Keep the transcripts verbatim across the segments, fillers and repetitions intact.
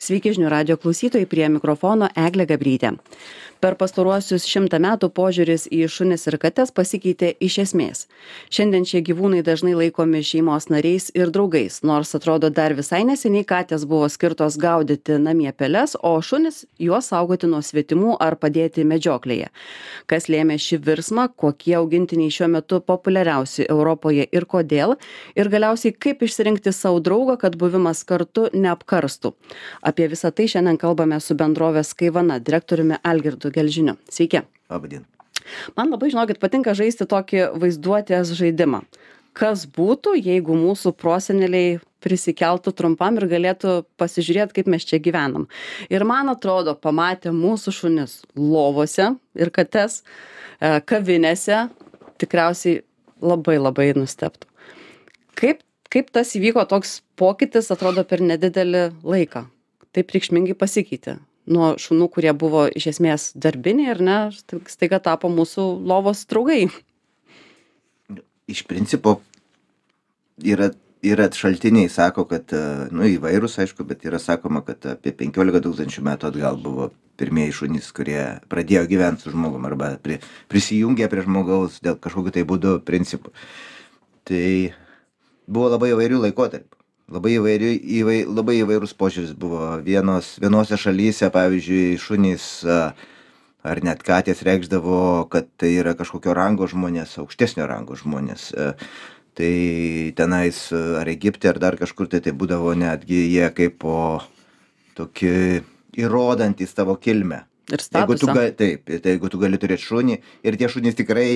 Sveiki žinių radijo klausytojai, prie mikrofono Eglė Gabrytė. Per pastaruosius šimtą metų požiūris į šunis ir kates pasikeitė iš esmės. Šiandien šie gyvūnai dažnai laikomi šeimos nariais ir draugais, nors atrodo dar visai neseniai katės buvo skirtos gaudyti namie peles, o šunis juos saugoti nuo svetimų ar padėti medžioklėje. Kas lėmė šį virsmą, kokie augintiniai šiuo metu populiariausi Europoje ir kodėl, ir galiausiai kaip išsirinkti savo draugą, kad buvimas kartu neapkarstų. Apie visą tai šiandien kalbame su bendrovės Kaivana direktoriumi Algirdu Gelžiniu. Sveiki. Labadiena. Man labai, žinokit, patinka žaisti tokį vaizduotės žaidimą. Kas būtų, jeigu mūsų proseneliai prisikeltų trumpam ir galėtų pasižiūrėti, kaip mes čia gyvenam. Ir man atrodo, pamatę mūsų šunis lovose ir kates, kavinėse, tikriausiai labai labai nustebtų. Kaip, kaip tas įvyko toks pokytis, atrodo, per nedidelį laiką? Taip reikšmingai pasikeitė. Nuo šunų, kurie buvo iš esmės darbiniai, ar ne, staiga tapo mūsų lovos draugai. Iš principo yra, yra šaltiniai, sako, kad, nu, įvairūs, aišku, bet yra sakoma, kad apie penkiolika tūkstančių metų atgal buvo pirmieji šunys, kurie pradėjo gyventi su žmogum arba pri, prisijungė prie žmogaus dėl kažkokiu tai būdu principų. Tai buvo labai įvairių laikotarpių. Labai, įvairių, įvai, labai įvairūs požiūris buvo. Vienos, vienose šalyse, pavyzdžiui, šunys ar net katės reikšdavo, kad tai yra kažkokio rango žmonės, aukštesnio rango žmonės. Tai tenais ar Egipte, ar dar kažkur, tai tai būdavo netgi jie kaip po tokį įrodantys tavo kilmę. Ir statusą. Taip, tai jeigu tu gali turėti šunį, ir tie šunys tikrai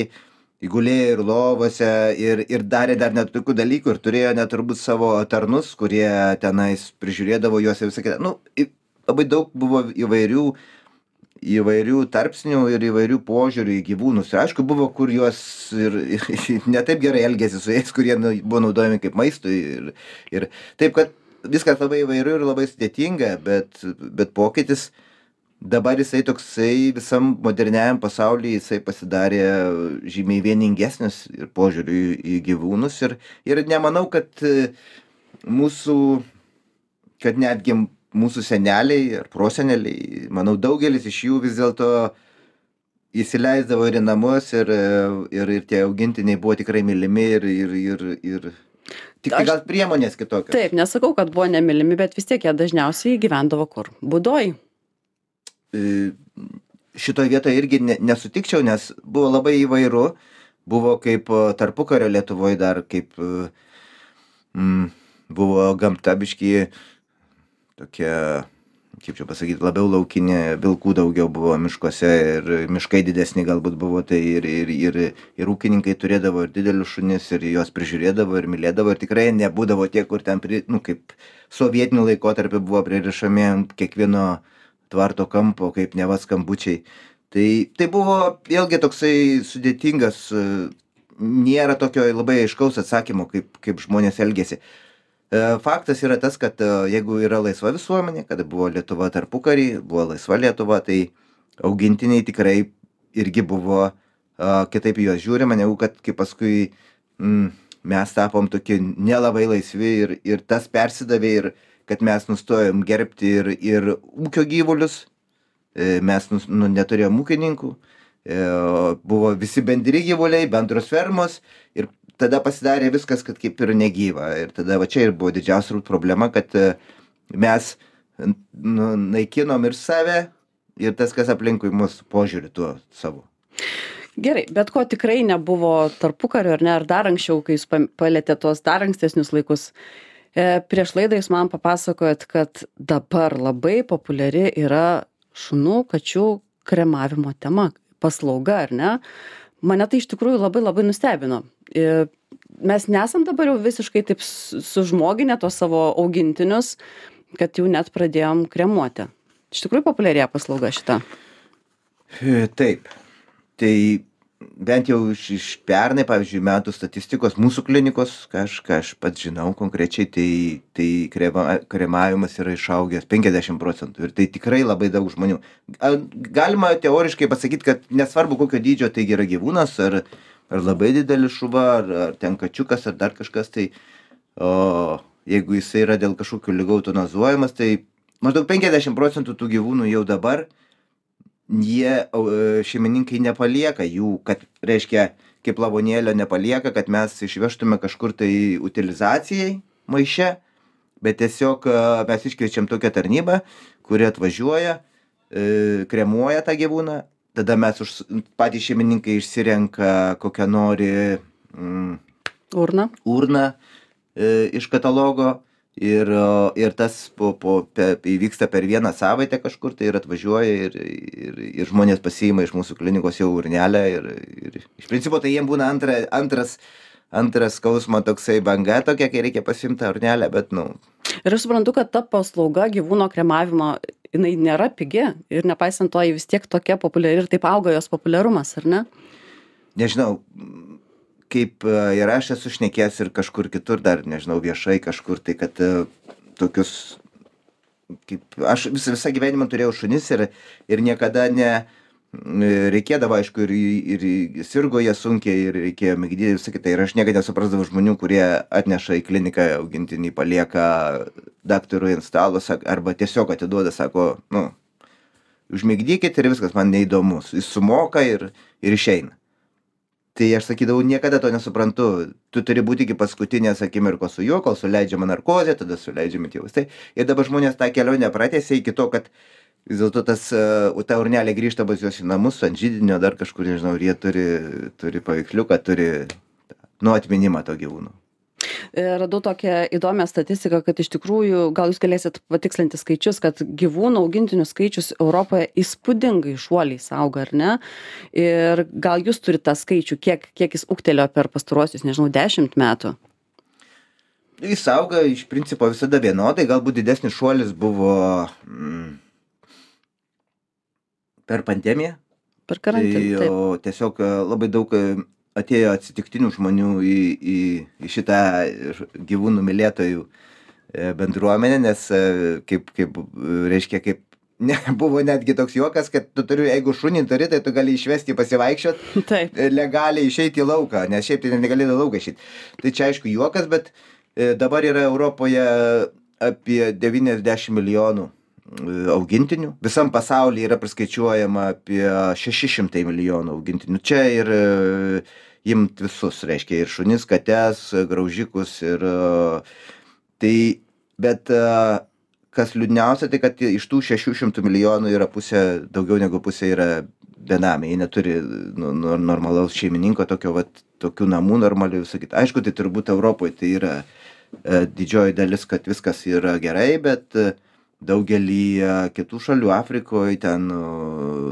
įgulėjo ir lovose, ir, ir darė dar net tokių dalykų, ir turėjo net turbūt savo tarnus, kurie tenais prižiūrėdavo juos ir visą kitą. Nu, labai daug buvo įvairių, įvairių tarpsnių ir įvairių požiūrių į gyvūnus. Ir aišku, buvo, kur juos ir, ir ne taip gerai elgėsi su jais, kurie buvo naudojami kaip maistui. Ir, ir taip, kad viskas labai įvairių ir labai sudėtinga, bet, bet pokytis dabar jisai toksai visam moderniajam pasaulyje jisai pasidarė žymiai vieningesnis ir požiūriu į, į gyvūnus ir, ir nemanau, kad mūsų, kad netgi mūsų seneliai ar proseneliai, manau, daugelis iš jų vis dėlto įsileisdavo ir į namus ir, ir, ir tie augintiniai buvo tikrai mylimi ir, ir, ir, ir tik tai gal priemonės kitokios. Taip, nesakau, kad buvo nemylimi, bet vis tiek jie dažniausiai gyvendavo kur? Būdoj. Šitoje vietoje irgi nesutikčiau, nes buvo labai įvairu, buvo kaip tarpukario Lietuvoje dar kaip mm, buvo gamta biški tokia, kaip čia pasakyti, labiau laukinė, vilkų daugiau buvo miškuose ir miškai didesni galbūt buvo, tai ir, ir, ir, ir ūkininkai turėdavo ir didelius šunis ir juos prižiūrėdavo ir mylėdavo ir tikrai nebūdavo tie, kur ten, pri, nu, kaip sovietinių laikotarpiu buvo pririšami ant kiekvieno tvarto kampo, kaip neva skambučiai. Tai, tai buvo vėlgi toksai sudėtingas, nėra tokio labai aiškaus atsakymo, kaip, kaip žmonės elgėsi. Faktas yra tas, kad jeigu yra laisva visuomenė, kada buvo Lietuva tarpukarį, buvo laisva Lietuva, tai augintiniai tikrai irgi buvo kitaip juos žiūrima, negu kad kaip paskui mm, mes tapom tokie nelabai laisvi ir, ir tas persidavė ir kad mes nustojom gerbti ir, ir ūkio gyvulius, mes nus, nu, neturėjom ūkininkų, buvo visi bendri gyvuliai, bendros fermos ir tada pasidarė viskas, kad kaip ir negyva. Ir tada va čia ir buvo didžiausia problema, kad mes nu, naikinom ir save ir tas, kas aplinkui mus požiūrį tuo savo. Gerai, bet ko tikrai nebuvo tarpukario, ar ne, ar dar anksčiau, kai jūs palėtė tos dar ankstesnius laikus. E, prieš laidą jūs man papasakojot, kad dabar labai populiari yra šunų, kačių kremavimo tema, paslauga, ar ne? Mane tai iš tikrųjų labai labai nustebino. E, mes nesam dabar jau visiškai taip sužmoginę tos savo augintinius, kad jau net pradėjom kremuoti. Iš tikrųjų populiarėja paslauga šita. E, taip. Tai bent jau iš, iš pernai, pavyzdžiui, metų statistikos mūsų klinikos, ką aš, ką aš pats žinau konkrečiai, tai, tai krema, kremavimas yra išaugęs penkiasdešimt procentų ir tai tikrai labai daug žmonių. Galima teoriškai pasakyti, kad nesvarbu kokio dydžio tai yra gyvūnas, ar, ar labai didelis šuva, ar, ar ten kačiukas, ar dar kažkas, tai o, jeigu jisai yra dėl kažkokių ligų eutanazuojamas, tai maždaug penkiasdešim procentų tų gyvūnų jau dabar jie šeimininkai nepalieka jų, kad reiškia kaip lavonėlio nepalieka, kad mes išvežtume kažkur tai utilizacijai maiše, bet tiesiog mes iškviečiam tokią tarnybą, kuri atvažiuoja, kremuoja tą gyvūną, tada mes už, patys šeimininkai išsirenka kokią nori mm, urną, urną e, iš katalogo. Ir, ir tas po, po, pe, įvyksta per vieną savaitę kažkur tai ir atvažiuoja ir, ir, ir žmonės pasiima iš mūsų klinikos jau urnelę ir, ir iš principo tai jiems būna antra, antras, antras skausmo toksai banga tokia, kai reikia pasiimti urnelę, bet nu. Ir aš suprantu, kad ta paslauga gyvūno kremavimo, jinai nėra pigi ir nepaisant to, ji vis tiek tokia populiari ir taip auga jos populiarumas, ar ne? Nežinau. Kaip ir aš esu šnekėjęs ir kažkur kitur dar, nežinau, viešai kažkur, tai kad tokius, kaip, aš visą, visą gyvenimą turėjau šunis ir, ir niekada ne, reikėdavo, aišku, ir, ir sirgo jie sunkiai ir reikėjo migdyti visą kitą. Ir aš niekada nesuprasdavau žmonių, kurie atneša į kliniką augintinį, palieka daktarui ant stalo arba tiesiog atiduoda, sako, nu, užmigdykit ir viskas, man neįdomu. Jis sumoka ir, ir išeina. Tai aš sakydavau, niekada to nesuprantu. Tu turi būti iki paskutinės akimirkos su juo, kol suleidžiama narkozė, tada suleidžiami tie vaistai. Ir dabar žmonės tą kelionę pratęsia iki to, kad vis dėlto tas, ta urnelė grįžta pas juos į namus, ant židinio, dar kažkur, nežinau, ir jie turi, turi paveiksliuką, turi nu atminimą to gyvūno. Radau tokią įdomią statistiką, kad iš tikrųjų, gal jūs galėsit patikslinti skaičius, kad gyvūnų augintinių skaičius Europoje įspūdingai šuoliais auga, ar ne? Ir gal jūs turite tą skaičių, kiek, kiek jis ūgtelėjo per pastaruosius, nežinau, dešimt metų? Jis auga iš principo visada vienodai, galbūt didesnis šuolis buvo mm, per pandemiją. Per karantiną. Tai, o tiesiog labai daug atėjo atsitiktinių žmonių į, į, į šitą gyvūnų mylėtojų bendruomenę, nes kaip, kaip reiškia, kaip ne, buvo netgi toks juokas, kad tu turi, jeigu šunį turi, tai tu gali išvesti pasivaikščiot, legaliai išeiti į lauką, nes šiaip tai negali į lauką išeiti. Tai čia aišku juokas, bet dabar yra Europoje apie devyniasdešim milijonų augintinių. Visam pasaulyje yra priskaičiuojama apie šeši šimtai milijonų augintinių. Čia ir imt visus, reiškia, ir šunis, kates, graužikus ir tai, bet kas liūdniausia, tai kad iš tų šešių šimtų milijonų yra pusė, daugiau negu pusė yra benamiai. Jie neturi nu, normalaus šeimininko, tokio, vat, tokių namų normalių visą kitą. Aišku, tai turbūt Europoje tai yra didžioji dalis, kad viskas yra gerai, bet daugelį kitų šalių, Afrikoje, ten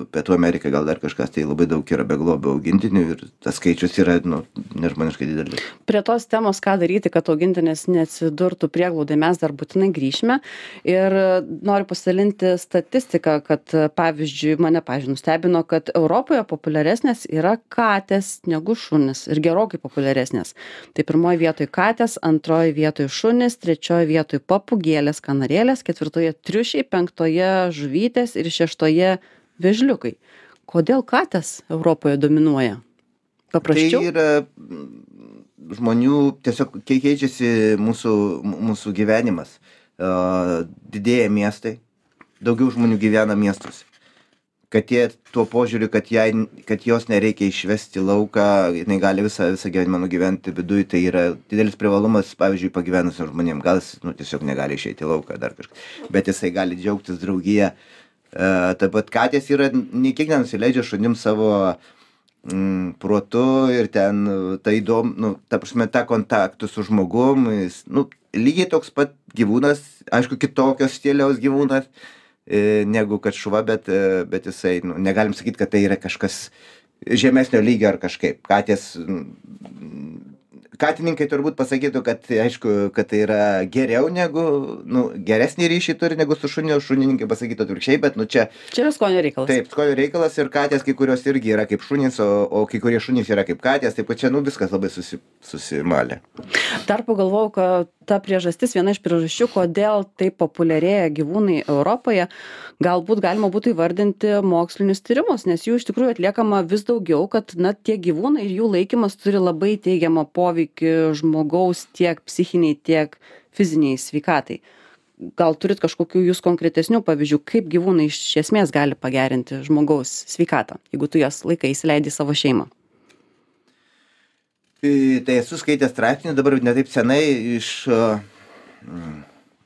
Pietų Amerikai gal dar kažkas, tai labai daug yra beglobių augintinių ir tas skaičius yra nu, nežmoniškai didelis. Prie tos temos, ką daryti, kad augintinis neatsidurtų prieglaudai, mes dar būtinai grįšime ir noriu pasidalinti statistiką, kad pavyzdžiui, mane pavyzdžiui nustebino, kad Europoje populiaresnės yra katės negu šunis ir gerokai populiaresnės. Tai pirmoje vietoje katės, antroje vietoje šunis, trečioje vietoje papūgėlės, kanarėlės, ketvirtoje triušiai, penktoje žuvytės ir šeštoje vėžliukai. Kodėl katės Europoje dominuoja? Paprasčiau? Tai yra žmonių, tiesiog keičiasi mūsų, mūsų gyvenimas. Didėja miestai, daugiau žmonių gyvena miestuose. Kad jie tuo požiūriu, kad, jai, kad jos nereikia išvesti lauką, jinai gali visą, visą gyvenimą nugyventi viduje, tai yra didelis privalumas, pavyzdžiui, pagyvenusiam žmonėm. Gal jis nu, tiesiog negali išeiti į lauką dar kažką, bet jisai gali džiaugtis draugiją. E, taip pat katės yra, nei kiek nenusileidžia šunim savo mm, protu ir ten tai įdomu, nu, ta prasme, tą kontaktų su žmogum, jis, nu, lygiai toks pat gyvūnas, aišku, kitokios stiliaus gyvūnas, negu kad šuva, bet, bet jisai, nu, negalim sakyti, kad tai yra kažkas žemesnio lygio ar kažkaip. Katės, katininkai turbūt pasakytų, kad aišku, kad tai yra geriau negu, nu, geresnį ryšį turi negu su šuniu, šunininkai pasakytų atvirkščiai, bet, nu, čia... Čia yra skonio reikalas. Taip, skonio reikalas ir katės, kai kurios irgi yra kaip šunys, o, o kai kurie šunys yra kaip katės, taip pat čia, nu, viskas labai susi, susimalė. Dar pagalvojau, kad ta priežastis, viena iš priežasčių, kodėl taip populiarėja gyvūnai Europoje, galbūt galima būtų įvardinti mokslinius tyrimus, nes jų iš tikrųjų atliekama vis daugiau, kad na, tie gyvūnai ir jų laikymas turi labai teigiamą poveikį žmogaus tiek psichiniai, tiek fiziniai sveikatai. gal turit kažkokių jūs konkretesnių pavyzdžių, kaip gyvūnai iš esmės gali pagerinti žmogaus sveikatą, jeigu tu jas laikai įsileidi į savo šeimą? Tai esu skaitęs straipsnį dabar ne taip senai iš,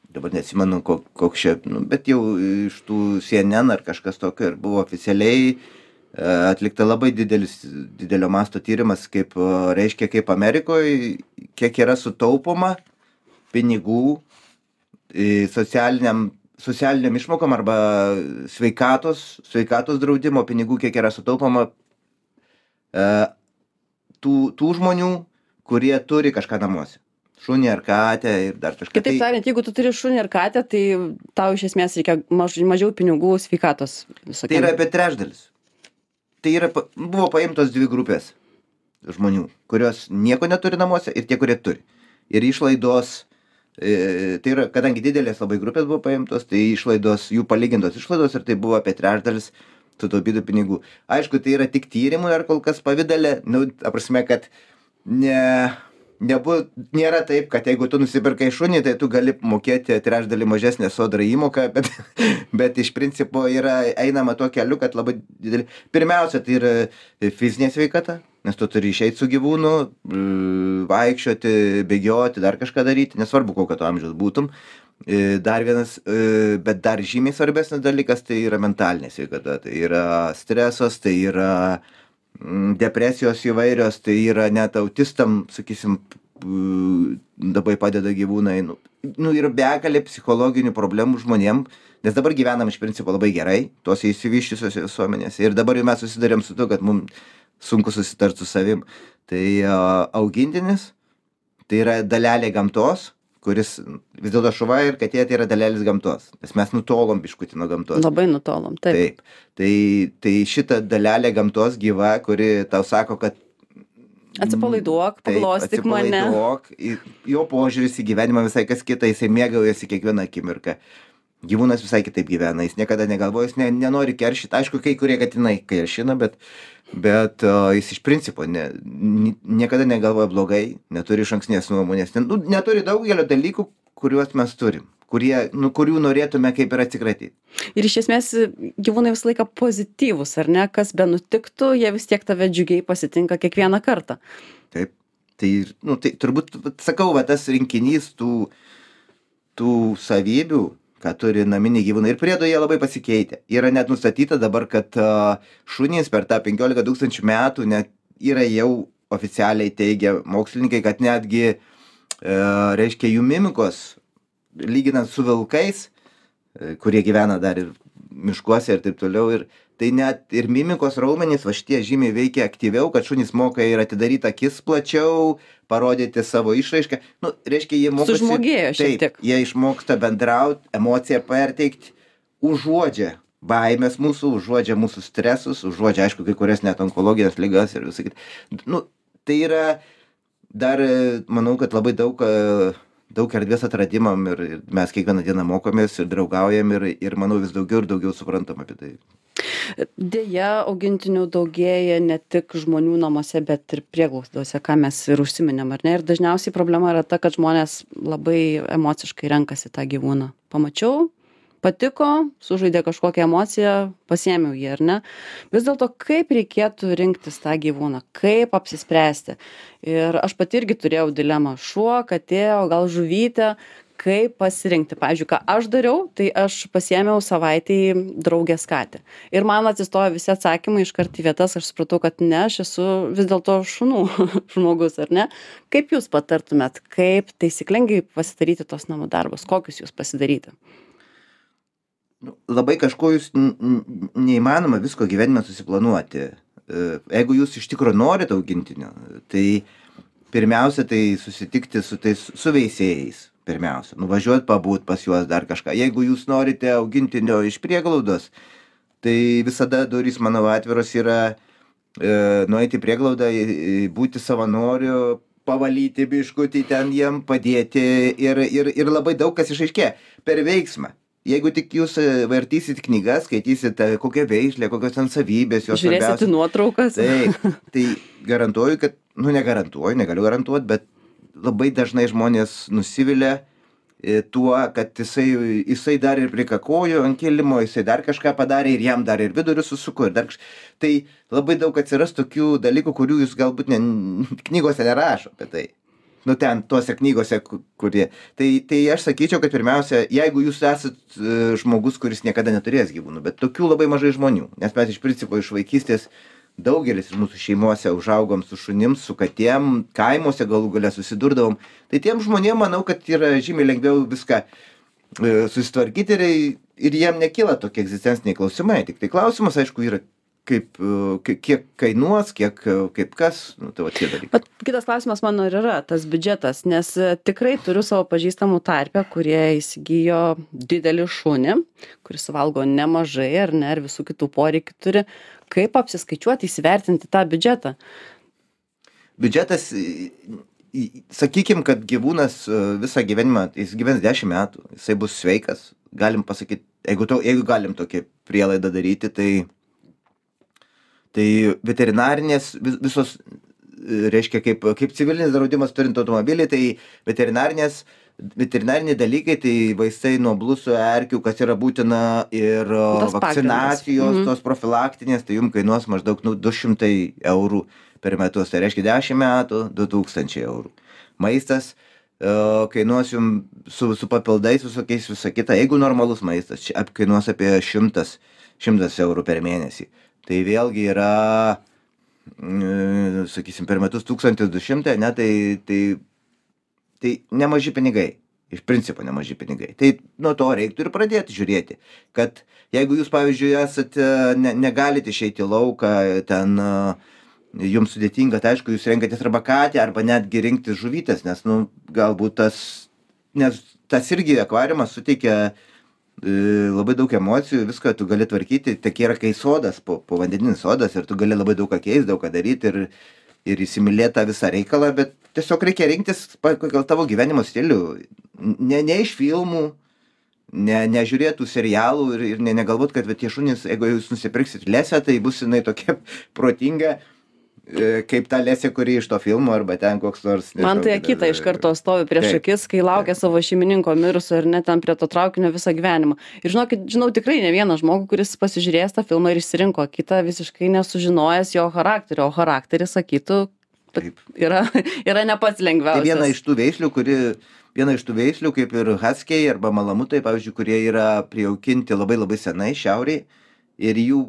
dabar neatsimenu koks čia, nu, bet jau iš tų C N N ar kažkas tokio ir buvo oficialiai atlikta labai didelis, didelio masto tyrimas, kaip reiškia, kaip Amerikoje, kiek yra sutaupoma pinigų socialiniam, socialiniam išmokom arba sveikatos, sveikatos draudimo pinigų, kiek yra sutaupoma tų, tų žmonių, kurie turi kažką namuose. Šunį ar katę ir dar kažką. Kitaip tariant, jeigu tu turi šunį ar katę, tai tau iš esmės reikia maž, mažiau pinigų sveikatos visokiam. Tai yra apie trečdalis. Tai yra, buvo paimtos dvi grupės žmonių, kurios nieko neturi namuose ir tie, kurie turi. Ir išlaidos, e, tai yra, kadangi didelės labai grupės buvo paimtos, tai išlaidos, jų palygintos išlaidos ir tai buvo apie trečdalis sutaupytų pinigų. Aišku, tai yra tik tyrimui ar kol kas pavidalė, nu, aprasme, kad ne, nebu, nėra taip, kad jeigu tu nusipirkai šunį, tai tu gali mokėti trečdalį mažesnę sodrą įmoką, bet, bet iš principo yra einama tuo keliu, kad labai didelį. Pirmiausia, tai yra fizinė sveikata, nes tu turi išeiti su gyvūnu, vaikščioti, bėgioti, dar kažką daryti, nesvarbu, kokio tu amžiaus būtum. Dar vienas, bet dar žymiai svarbesnis dalykas, tai yra mentalinė sveikata, tai yra stresas, tai yra depresijos įvairios, tai yra net autistam, sakysim, labai padeda gyvūnai, nu, nu yra begalė psichologinių problemų žmonėm, nes dabar gyvenam iš principo labai gerai, tuose įsivyščiusios visuomenėse ir dabar jau mes susidarėm su to, kad mums sunku susitart su savim. Tai augintinis, tai yra dalelė gamtos, kuris vis dėlto šuva ir katė tai yra dalelės gamtos, nes mes nutolom biškutį nuo gamtos. Labai nutolom, taip. Taip. Tai, tai šita dalelė gamtos gyva, kuri tau sako, kad atsipalaiduok, paglostyk mane. Atsipalaiduok, jo požiūris į gyvenimą visai kas kita, jisai mėgaujasi kiekvieną akimirką. Gyvūnas visai kitaip gyvena, jis niekada negalvoja, jis ne, nenori keršyti, aišku, kai kurie katinai keršina, bet bet uh, jis iš principo ne, niekada negalvoja blogai, neturi išankstinės nuomonės, nu, neturi daugelio dalykų, kuriuos mes turim, kurie, nu, kurių norėtume kaip ir atsikratyti. Ir iš esmės gyvūnai visą laiką pozityvus, ar ne, kas be nutiktų, jie vis tiek tave džiugiai pasitinka kiekvieną kartą. Taip, tai, nu, tai turbūt, sakau, va, tas rinkinys tų, tų savybių, ką turi naminiai gyvūnai. Ir priedo jie labai pasikeitė. Yra net nustatyta dabar, kad uh, šunys per tą penkiolika tūkstančių metų net yra jau oficialiai teigia mokslininkai, kad netgi, uh, reiškia, jų mimikos, lyginant su vilkais, uh, kurie gyvena dar ir miškuose ir taip toliau, ir tai net ir mimikos raumenys, va šitie žymiai veikia aktyviau, kad šunys moka ir atidaryti akis plačiau, parodyti savo išraišką. Nu, reiškia, jie mokosi. Sužmogėjo šiek tiek. Jie išmoksta bendrauti, emociją perteikti, užuodžia baimės mūsų, užuodžia mūsų stresus, užuodžia, aišku, kai kurias net onkologijos ligas ir visą kitą. Nu, tai yra dar, manau, kad labai daug, daug erdvės atradimam ir, ir mes kiekvieną dieną mokomės ir draugaujam ir, ir, manau, vis daugiau ir daugiau suprantam apie tai. Deja, augintinių daugėja ne tik žmonių namuose, bet ir prieglaudose, ką mes ir užsiminėm, ar ne? Ir dažniausiai problema yra ta, kad žmonės labai emociškai renkasi tą gyvūną. Pamačiau, patiko, sužaidė kažkokią emociją, pasiėmiau jį, ar ne? Vis dėlto, kaip reikėtų rinktis tą gyvūną, kaip apsispręsti? Ir aš pati irgi turėjau dilemą, šuo, katė, o gal žuvytė, kaip pasirinkti. Pavyzdžiui, ką aš dariau, tai aš pasiėmiau savaitei draugės katę. Ir man atsistojo visi atsakymai iškart į vietas, aš supratau, kad ne, aš esu vis dėlto šunų žmogus, ar ne? Kaip jūs patartumėt, kaip taisyklingai pasidaryti tos namų darbus, kokius jūs pasidaryti? Labai kažko jūs neįmanoma visko gyvenime susiplanuoti. Jeigu jūs iš tikrųjų norite augintinio, tai pirmiausia, tai susitikti su tais su veisėjais. Pirmiausia, nuvažiuoti pabūt pas juos dar kažką. Jeigu jūs norite augintinio iš prieglaudos, tai visada durys, manau, atviros yra e, nueiti į prieglaudą, būti savanoriu, pavalyti biškutį ten jiem, padėti ir, ir, ir labai daug kas išaiškėja per veiksmą. Jeigu tik jūs vartysit knygas, skaitysit kokią veislę, kokios ten savybės, jos svarbiausios. Žiūrėsit nuotraukas. Tai, tai garantuoju, kad, nu negarantuoju, negaliu garantuoti, bet labai dažnai žmonės nusivilia tuo, kad jisai, jisai dar ir prikakojo ant kilimo, jisai dar kažką padarė ir jam dar ir vidurius susuko. Ir dar kaž... Tai labai daug atsiras tokių dalykų, kurių jūs galbūt ne, knygose nerašo apie tai. Nu ten, tuose knygose, kurie. Tai, tai aš sakyčiau, kad pirmiausia, jeigu jūs esat uh, žmogus, kuris niekada neturės gyvūnų, bet tokių labai mažai žmonių, nes mes iš principo iš vaikystės daugelis iš mūsų šeimose užaugom su šunim, su katėm, kaimuose galų gale susidurdavom. Tai tiem žmonėm manau, kad yra žymiai lengviau viską uh, susitvarkyti ir, ir jiem nekyla tokie egzistenciniai klausimai. Tik tai klausimas, aišku, yra kaip, kiek kainuos, kiek, kaip kas, nu, tai va tie dalykai. Bet kitas klausimas mano ir yra tas biudžetas, nes tikrai turiu savo pažįstamų tarpę, kurie įsigijo didelį šunį, kuris valgo nemažai ar ne, ir visų kitų poreikių turi. Kaip apsiskaičiuoti, įsivertinti tą biudžetą? Biudžetas, sakykim, kad gyvūnas visą gyvenimą, jis gyvens dešimt metų, jisai bus sveikas, galim pasakyti, jeigu, to, jeigu galim tokią prielaidą daryti, tai Tai veterinarinės visos, reiškia, kaip, kaip civilinis draudimas turint automobilį, tai veterinarinės, veterinariniai dalykai, tai vaistai nuo blusų, erkių, kas yra būtina, ir tas vakcinacijos, mhm. tos profilaktinės, tai jums kainuos maždaug nu, du šimtai eurų per metus, tai reiškia dešimt metų, du tūkstančiai eurų. Maistas uh, kainuos jums su, su papildais visokiais visą kitą, jeigu normalus maistas, kainuos apie šimtas eurų per mėnesį. Tai vėlgi yra, sakysim, per metus tūkstantis du šimtai, ne, tai, tai, tai nemaži pinigai, iš principo nemaži pinigai. Tai nuo to reiktų ir pradėti žiūrėti, kad jeigu jūs, pavyzdžiui, esate, ne, negalite išeiti į lauką, ten jums sudėtinga, tai aišku, jūs renkatės arba katę, arba netgi rinktis žuvytės, nes, nu, galbūt tas, nes tas irgi akvariumas suteikia labai daug emocijų, viską tu gali tvarkyti, tik yra kai sodas, po, po vandeninis sodas ir tu gali labai daug ką keisti, daug ką daryti ir, ir įsimylėti tą visą reikalą, bet tiesiog reikia rinktis pagal tavo gyvenimo stilių, ne, ne iš filmų, ne, nežiūrėtų serialų ir, ir ne, negalvot, kad tie šunys, jeigu jūs nusipirksit lesę, tai bus jinai tokia protinga, kaip ta lesė, kuri iš to filmo arba ten koks nors. Nežinau, man tai akita iš karto stovi prieš akis, kai laukia savo šeimininko mirusio ir net ten prie to traukinio visą gyvenimą. Ir žinokit, žinau tikrai ne vieną žmogų, kuris pasižiūrėjęs tą filmą ir išsirinko kitą visiškai nesužinojęs jo charakterio, o charakteris sakytų, yra, yra ne pats lengviausias. Tai viena iš tų veislių, kuri, viena iš tų veislių, kaip ir haskiai arba malamutai, pavyzdžiui, kurie yra prijaukinti labai labai senai šiauriai ir jų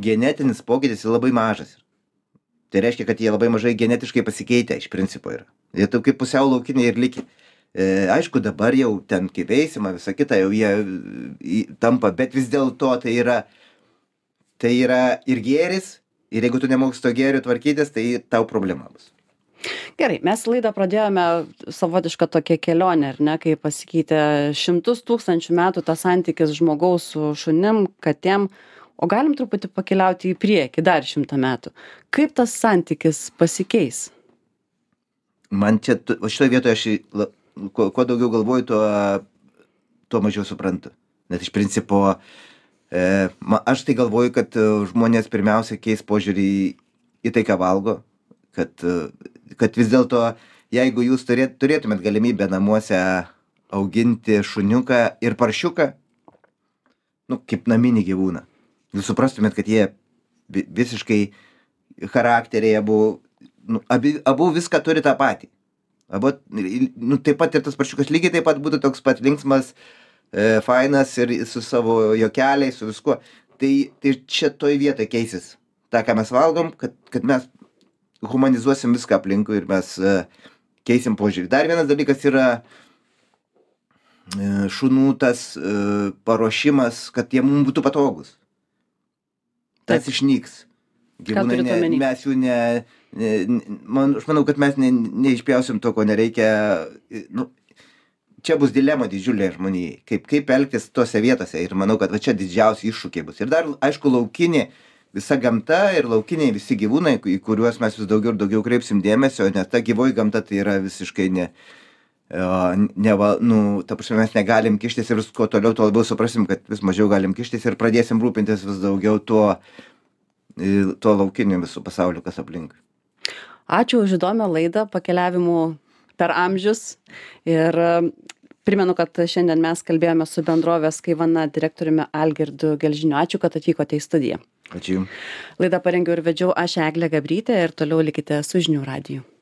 genetinis pokytis labai mažas. Tai reiškia, kad jie labai mažai genetiškai pasikeitę iš principo yra. Jie taip kaip pusiau laukiniai ir likę. E, aišku, dabar jau ten kaip veisima, visa kita, jau jie į, tampa, bet vis dėlto tai yra, tai yra ir gėris, ir jeigu tu nemoksi to gėrių tvarkytis, tai tau problema bus. Gerai, mes laidą pradėjome savotišką tokią kelionę, ar ne, kai pasikeitė šimtus tūkstančių metų tas santykis žmogaus su šunim, katėm. O galim truputį pakeliauti į priekį, dar šimtą metų. Kaip tas santykis pasikeis? Man čia, šitoje vietoje aš, kuo, kuo daugiau galvoju, tuo, tuo mažiau suprantu. Nes iš principo, e, aš tai galvoju, kad žmonės pirmiausia keis požiūrį į, į tai, ką valgo. Kad, kad vis dėlto, jeigu jūs turėt, turėtumėt galimybę namuose auginti šuniuką ir paršiuką, nu, kaip naminį gyvūną. Jūs suprastumėt, kad jie visiškai charakteriai abu, nu, abi, abu viską turi tą patį. Abu, nu, taip pat ir tas paršiukas lygiai taip pat būtų toks pat linksmas, e, fainas ir su savo juokeliais, su viskuo. Tai, tai čia toj vietoje keisis tą, ką mes valgom, kad, kad mes humanizuosim viską aplinkui ir mes e, keisim požiūrį. Dar vienas dalykas yra e, šunų tas e, paruošimas, kad jie mums būtų patogus. Tas Taip. Išnyks. Gyvūnai, ne, mes jų ne, ne, man, aš manau, kad mes ne, neišpjausim to, ko nereikia. Nu, čia bus dilema didžiulė žmonijai, kaip, kaip elgtis tose vietose ir manau, kad va čia didžiausi iššūkiai bus. Ir dar, aišku, laukinė visa gamta ir laukiniai visi gyvūnai, į kuriuos mes vis daugiau ir daugiau kreipsim dėmesio, nes ta gyvoji gamta tai yra visiškai ne, ne va, nu, ta prasme, mes negalim kištis ir kuo toliau, tuo labiau suprasim, kad vis mažiau galim kištis ir pradėsim rūpintis vis daugiau tuo, tuo laukiniu visų pasauliu, kas aplink. Ačiū už įdomią laidą, pakeliavimų per amžius ir Primenu, kad šiandien mes kalbėjome su bendrovės Kaivana direktoriumi Algirdu Gelžiniu. Ačiū, kad atvykote į studiją. Ačiū. Laidą parengiau ir vedžiau aš Eglė Gabrytė ir toliau likite su Žinių radiju.